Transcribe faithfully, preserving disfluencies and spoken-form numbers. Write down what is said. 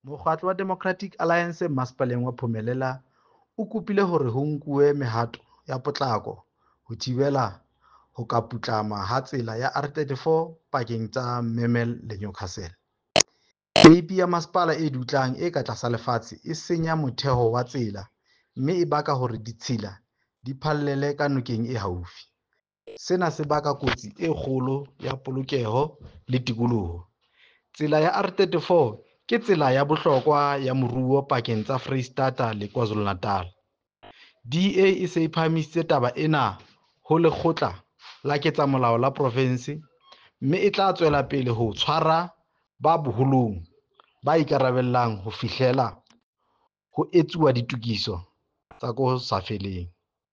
Mokgatlo wa Democratic Alliance Masepaleng wa Phumelela o kopile hore ho nkuwe mehato ya potlako ho thibela ho ka putlama ha tsela ya R thirty-four pakeng tsa Memel le Newcastle. Peipi ya masepala e dutlang e ka tlasa lefatshe e senya motheo wa tsela mme e baka hore ditshila di phallele ka nokeng e haufi. Sena se baka kotsi e kgolo ya polokeho le tikoloho. Tsela ya R thirty-four ke tsela ya bohlokwa ya moruo pakeng tsa Freistata le KwaZulu-Natal. D A e se e phahamisitse taba ena ho Lekgotla la Ketsamolao la Provense mme e tla tswela pele ho tshwara ba boholong ba ikarabellang ho fihlela ho etsuwa ditokiso tsa ka ho sa feleng.